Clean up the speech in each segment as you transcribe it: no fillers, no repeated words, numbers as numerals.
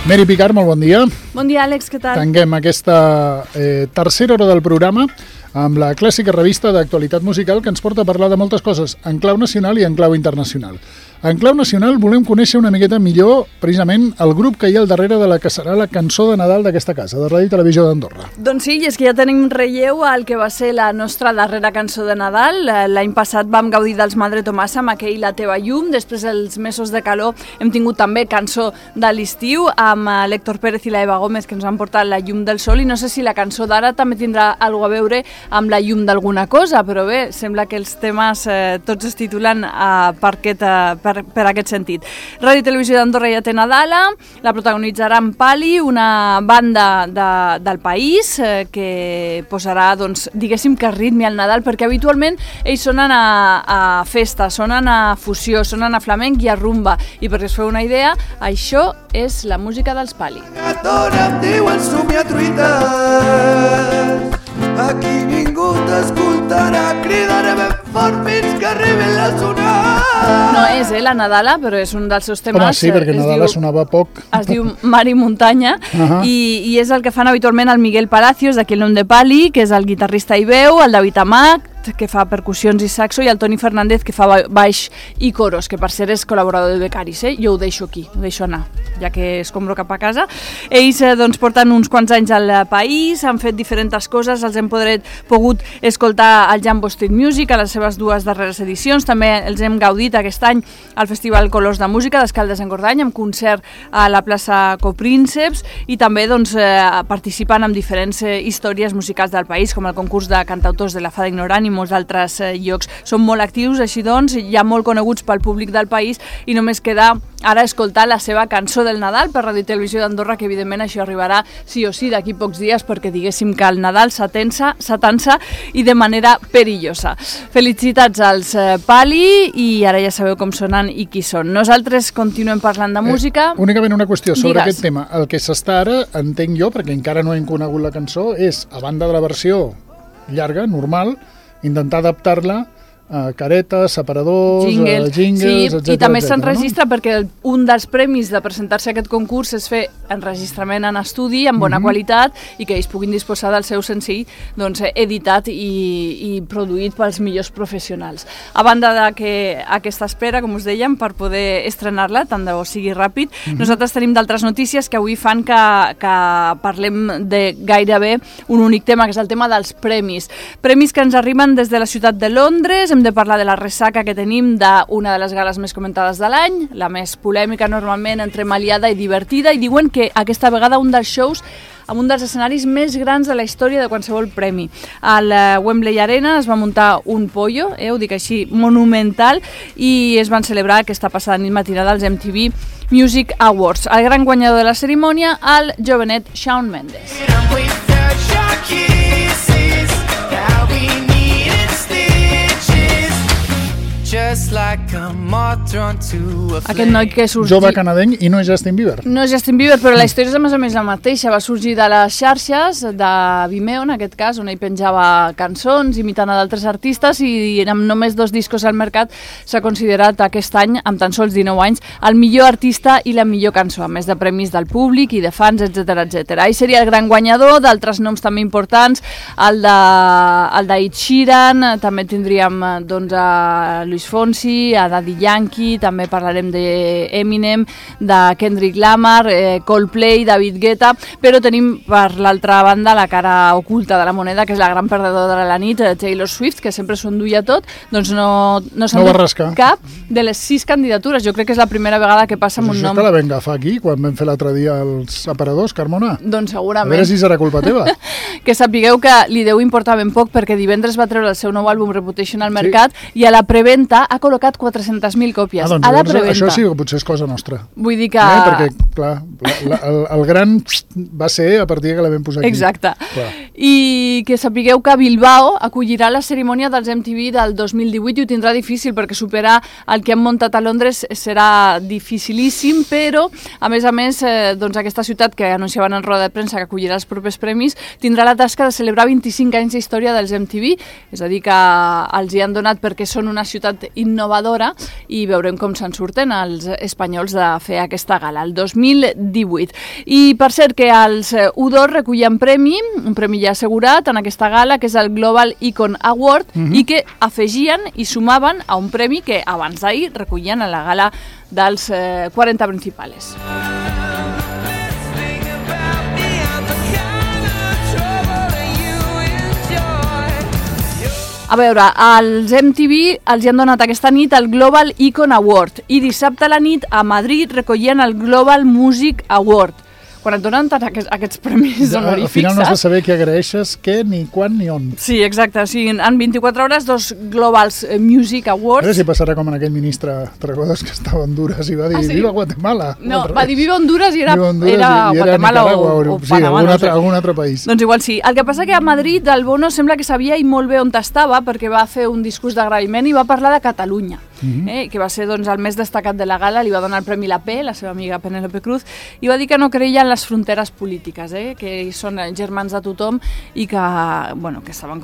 Mary Picard, molt bon dia. Bon dia, Àlex, què tal? Tanquem aquesta tercera hora del programa amb la clàssica revista d'actualitat musical que ens porta a parlar de moltes coses, en clau nacional i en clau internacional. En clau nacional volem conèixer una miqueta millor precisament el grup que hi ha al darrere de la que serà la cançó de Nadal d'aquesta casa, de Ràdio i Televisió d'Andorra. Doncs sí, i és que ja tenim relleu al que va ser la nostra darrera cançó de Nadal. L'any passat vam gaudir dels Madre Tomasa amb aquell La teva llum. Després dels mesos de calor hem tingut també cançó de l'estiu amb l'Héctor Pérez i la Eva Gómez, que ens han portat La llum del sol, i no sé si la cançó d'ara també tindrà alguna a veure amb la llum d'alguna cosa, però bé, sembla que els temes tots es titulen per aquest sentit. Ràdio i Televisió d'Andorra ja té Nadala, la protagonitzarà en Pali, una banda del país que posarà, doncs, diguéssim que ritme al Nadal, perquè habitualment ells sonen a festa, sonen a fusió, sonen a flamenc i a rumba, i perquè us feu una idea, això és la música dels Pali. Em diuen somiar truites, aquí ningú t'escoltarà, cridaré ben fort fins que arribi la sonada. No és la Nadala, però és un dels seus temes. Home, sí, perquè Nadala sonava poc. Es diu Mar i Muntanya, i és el que fan habitualment el Miguel Palacios, d'aquí el nom de Pali, que és el guitarrista i veu, el David Amat, que fa percussions i saxo, i el Toni Fernández, que fa baix i coros, que per ser és col·laborador de Becaris, jo ho deixo aquí, ho deixo anar, ja que escombro cap a casa. Ells doncs, porten uns quants anys al país, han fet diferents coses, els hem pogut escoltar al Jambo Street Music, a les seves dues darreres edicions, també els hem gaudit aquest any al Festival Colors de Música d'Escaldes-Engordany, amb concert a la plaça Coprínceps, i també doncs, participen en diferents històries musicals del país, com el concurs de cantautors de la Fada Ignorant i molts altres llocs. Són molt actius, així doncs, ja molt coneguts pel públic del país, i només queda ara escoltar la seva cançó del Nadal per Ràdio i Televisió d'Andorra, que evidentment això arribarà sí o sí d'aquí pocs dies, perquè diguéssim que el Nadal s'atansa i de manera perillosa. Felicitats als Pali, i ara ja sabeu com sonen i qui són. Nosaltres continuem parlant de música. Únicament una qüestió sobre aquest tema. El que s'està ara, entenc jo, perquè encara no hem conegut la cançó, és, a banda de la versió llarga, normal, intentar adaptar-la a caretes, separadors, jingles, etc. I també s'enregistra, no? Perquè un dels premis de presentar-se a aquest concurs és fer enregistrament en estudi, amb bona qualitat, i que ells puguin disposar del seu senzill doncs, editat i produït pels millors professionals. A banda de que aquesta espera, com us dèiem, per poder estrenar-la, tant de bo sigui ràpid, nosaltres tenim d'altres notícies que avui fan que parlem de gairebé un únic tema, que és el tema dels premis. Premis que ens arriben des de la ciutat de Londres. Hem de parlar de la ressaca que tenim d'una de les gales més comentades de l'any, la més polèmica normalment, entremaliada i divertida, i diuen que aquesta vegada un dels shows amb un dels escenaris més grans de la història de qualsevol premi. Al Wembley Arena es va muntar un pollo, ho dic així, monumental, i es van celebrar aquesta passada nit matinada als MTV Music Awards. El gran guanyador de la cerimònia, el jovenet Shawn Mendes. Aquest noi que sorgí... Jove canadenc i no és Justin Bieber. No és Justin Bieber, però la història és a més la mateixa. Va sorgir de les xarxes, de Vimeo en aquest cas, on ell penjava cançons imitant a d'altres artistes, i amb només 2 discos al mercat s'ha considerat aquest any, amb tan sols 19 anys, el millor artista i la millor cançó, a més de premis del públic i de fans, etc. Ell seria el gran guanyador, d'altres noms també importants, el d'Ed Sheeran, també tindríem doncs, a Luis Fonsi, a Daddy Yankee, també parlarem d'Eminem, de Kendrick Lamar, Coldplay, David Guetta, però tenim per l'altra banda la cara oculta de la moneda, que és la gran perdedora de la nit, Taylor Swift, que sempre s'ho enduia tot, doncs no s'ha endut cap de les 6 candidatures. Jo crec que és la primera vegada que passa amb un nom. Això te la vam agafar aquí, quan vam fer l'altre dia els aparadors, Carmona? Doncs segurament. A veure si serà culpa teva. Que sapigueu que li deu importar ben poc, perquè divendres va treure el seu nou àlbum Reputation al mercat, i a la preventa ha col·locat 400.000 còpies. Doncs, a la preventa. Això sí que potser és cosa nostra. Vull dir que... Perquè, clar, el gran va ser a partir que la vam posar aquí. Exacte. Clar. I que sapigueu que Bilbao acollirà la cerimònia dels MTV del 2018 i ho tindrà difícil, perquè superar el que han muntat a Londres serà dificilíssim, però, a més, doncs aquesta ciutat que anunciaven en roda de premsa que acollirà els propers premis, tindrà la tasca de celebrar 25 anys d'història dels MTV, és a dir, que els hi han donat perquè són una ciutat innovadora i veurem com se'n surten els espanyols de fer aquesta gala, el 2018. I per cert que els U2 recullen un premi ja assegurat en aquesta gala, que és el Global Icon Award, i que afegien i sumaven a un premi que abans d'ahir recollien a la gala dels 40 principals. A veure, als MTV els hi han donat aquesta nit el Global Icon Award i dissabte a la nit a Madrid recollien el Global Music Award. Quan et donen tant aquests premis honorífics... Al final no has de saber què agraeixes, què, ni quan, ni on. Sí, exacte. O sigui, en 24 hores, 2 Globals Music Awards... A veure si passarà com en aquell ministre, te'n recordes que estava a Honduras i va dir Viva Guatemala. No, va dir Viva Honduras i era Guatemala o Panamà. Sí, algun altre país. Doncs igual sí. El que passa que a Madrid el Bono sembla que sabia i molt bé on estava perquè va fer un discurs d'agraïment i va parlar de Catalunya. Que va ser doncs, el més destacat de la gala, li va donar el Premi La P, la seva amiga Penélope Cruz, i va dir que no creia en les fronteres polítiques, que són germans de tothom i que, que estava en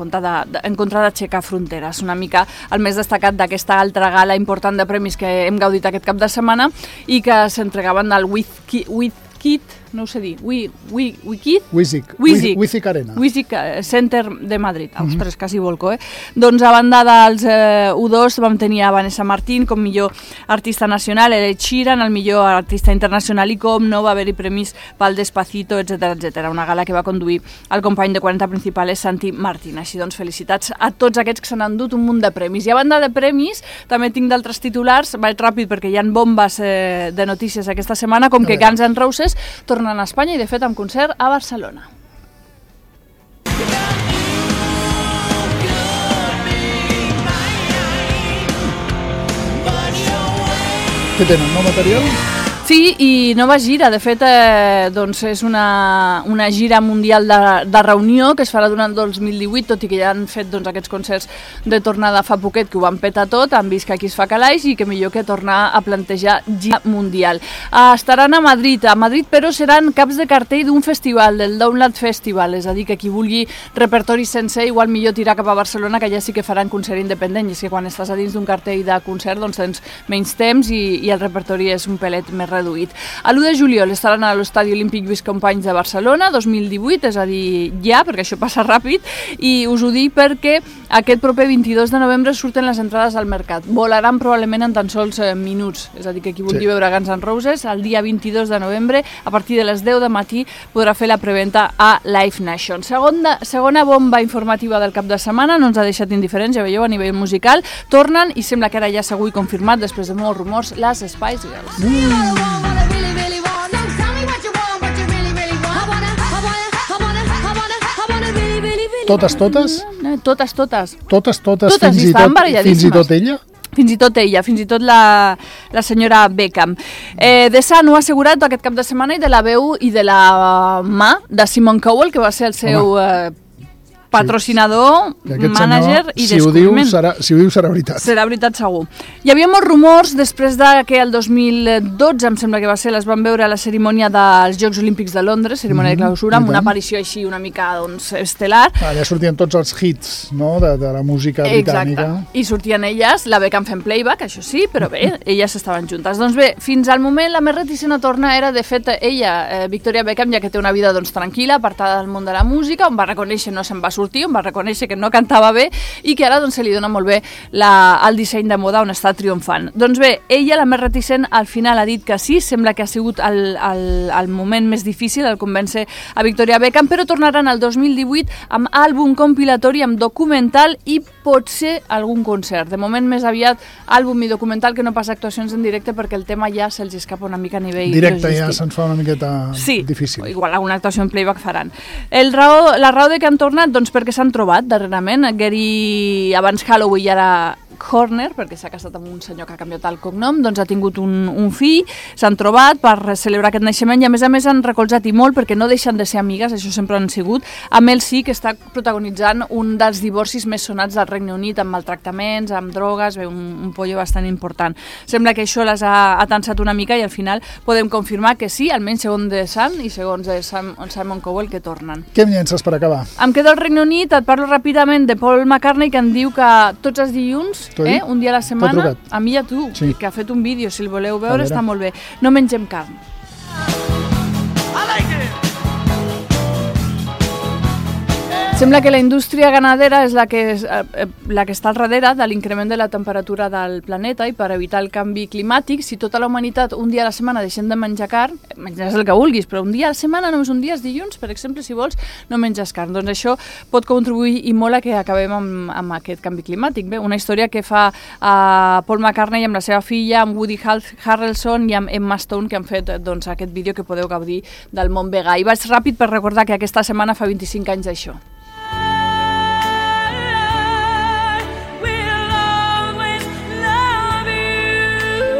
contra d'aixecar fronteres. Una mica el més destacat d'aquesta altra gala important de premis que hem gaudit aquest cap de setmana i que s'entregaven al WizKid, no ho sé dir, WizKid Arena. WizKid Center de Madrid. Ostres, quasi volco, Doncs a banda dels U2 vam tenir a Vanessa Martín com millor artista nacional, Ed Sheeran, el millor artista internacional i com no va haver-hi premis pel Despacito, etc. Una gala que va conduir el company de 40 principals, Santi Martín. Així doncs, felicitats a tots aquests que s'han endut un munt de premis. I a banda de premis, també tinc d'altres titulars, vaig ràpid perquè hi ha bombes de notícies aquesta setmana, com que Guns N' Roses tornen a Espanya i de fet amb concert a Barcelona. Què tenen, nou material? Sí, i nova gira. De fet, és una gira mundial de reunió que es farà durant el 2018, tot i que ja han fet aquests concerts de tornada fa poquet, que ho van petar tot, han vist que aquí es fa calaix i que millor que tornar a plantejar gira mundial. Estaran a Madrid, però seran caps de cartell d'un festival, del Download Festival, és a dir, que qui vulgui repertori sencer, igual millor tirar cap a Barcelona, que ja sí que faran concert independent, i és que quan estàs a dins d'un cartell de concert doncs tens menys temps i el repertori és un pelet més reduït. A l'1 de juliol estaran a l'Estadi Olímpic Lluís Companys de Barcelona, 2018, és a dir, ja, perquè això passa ràpid, i us ho dic perquè aquest proper 22 de novembre surten les entrades al mercat. Volaran probablement en tan sols minuts, és a dir, que qui vulgui veure Guns N' Roses, el dia 22 de novembre, a partir de les 10 de matí, podrà fer la preventa a Live Nation. Segona bomba informativa del cap de setmana, no ens ha deixat indiferents, ja veieu, a nivell musical, tornen, i sembla que ara ja segur i confirmat, després de molts rumors, les Spice Girls. Totes? Totes, fins i tot ella? Fins i tot ella, fins i tot la senyora Beckham. The Sun ho ha assegurat aquest cap de setmana, i de la veu i de la mà de Simon Cowell, que va ser el seu patrocinador, mànager i descobriment. Si ho diu serà veritat. Serà veritat segur. Hi havia molts rumors després que el 2012, em sembla que va ser, les van veure a la cerimònia dels Jocs Olímpics de Londres, cerimònia de clausura, amb una aparició així una mica estel·lar. Allà sortien tots els hits, no?, de la música britànica. Exacte. I sortien elles, la Beckham fent playback, això sí, però bé, elles estaven juntes. Doncs bé, fins al moment la més reticent a tornar era, de fet, ella, Victoria Beckham, ja que té una vida tranquil·la, apartada del món de la música, on va reconèixer, no se'n va sortir, on va reconèixer que no cantava bé i que ara se li dona molt bé el disseny de moda, on està triomfant. Doncs bé, ella, la més reticent, al final ha dit que sí, sembla que ha sigut el moment més difícil, el convèncer a Victoria Beckham, però tornaran el 2018 amb àlbum compilatori, amb documental i potser algun concert. De moment més aviat àlbum i documental que no pas actuacions en directe, perquè el tema ja se'ls escapa una mica a nivell directe, logístic. Ja se'ns fa una miqueta difícil. Sí, igual alguna actuació en playback faran. La raó de que han tornat, doncs perquè s'han trobat darrerament. Gary, abans Holloway, i ara Horner, perquè s'ha casat amb un senyor que ha canviat el cognom, doncs ha tingut un fill, s'han trobat per celebrar aquest naixement i a més han recolzat i molt, perquè no deixen de ser amigues, això sempre han sigut. Amb ell sí que està protagonitzant un dels divorcis més sonats del Regne Unit, amb maltractaments, amb drogues, un pollo bastant important. Sembla que això les ha atensat una mica i al final podem confirmar que sí, almenys segons The Sun i segons Simon Cowell, que tornen. Què em llences per acabar? Em quedo al Regne Unit, et parlo ràpidament de Paul McCartney, que em diu que tots els dilluns T'ho dit? Un dia a la T'ha setmana, trucat? a mi i a tu, Sí. que ha fet un vídeo, si el voleu veure, veure. està molt bé. No mengem carn. Sembla que la indústria ganadera és la que està al darrere de l'increment de la temperatura del planeta i per evitar el canvi climàtic, si tota la humanitat un dia a la setmana deixem de menjar carn, menjaràs el que vulguis, però un dia a la setmana, només un dia, els dilluns, per exemple, si vols, no menges carn. Doncs això pot contribuir i molt a que acabem amb aquest canvi climàtic. Bé, una història que fa Paul McCartney amb la seva filla, amb Woody Harrelson i amb Emma Stone, que han fet doncs, aquest vídeo que podeu gaudir del món vegà. I vaig ràpid per recordar que aquesta setmana fa 25 anys d'això.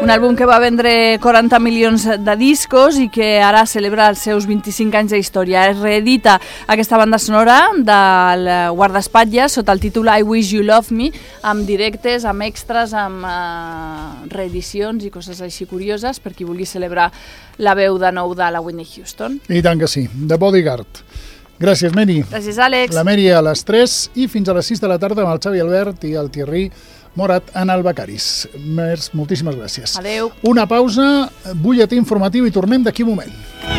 Un àlbum que va vendre 40 milions de discos i que ara celebra els seus 25 anys d'història. Es reedita aquesta banda sonora del guardaespatlles sota el títol I Wish You Love Me, amb directes, amb extras, amb reedicions i coses així curioses per qui vulgui celebrar la veu de nou de la Whitney Houston. I tant que sí, The Bodyguard. Gràcies, Meri. Gràcies, Àlex. La Meri a les 3 i fins a les 6 de la tarda amb el Xavi Albert i el Thierry Morat en el Becaris. Moltíssimes gràcies. Adeu. Una pausa, butlletí informatiu i tornem d'aquí un moment.